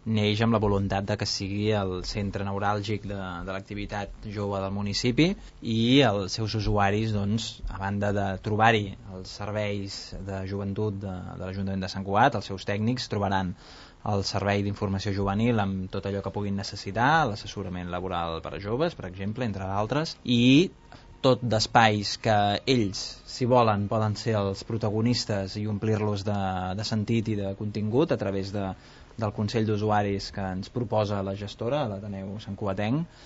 neix amb la voluntat de que sigui el centre neuràlgic de l'activitat jove del municipi, i els seus usuaris, doncs, a banda de trobar-hi els serveis de joventut de l'Ajuntament de Sant Cugat, els seus tècnics trobaran el servei d'informació juvenil amb tot allò que puguin necessitar, l'assessorament laboral per a joves, per exemple, entre d'altres, i tot d'espais que ells, si volen, poden ser els protagonistes i omplir-los de sentit i de contingut a través del Consell d'Usuaris que ens proposa la gestora, l'Ateneu Santcugatenc,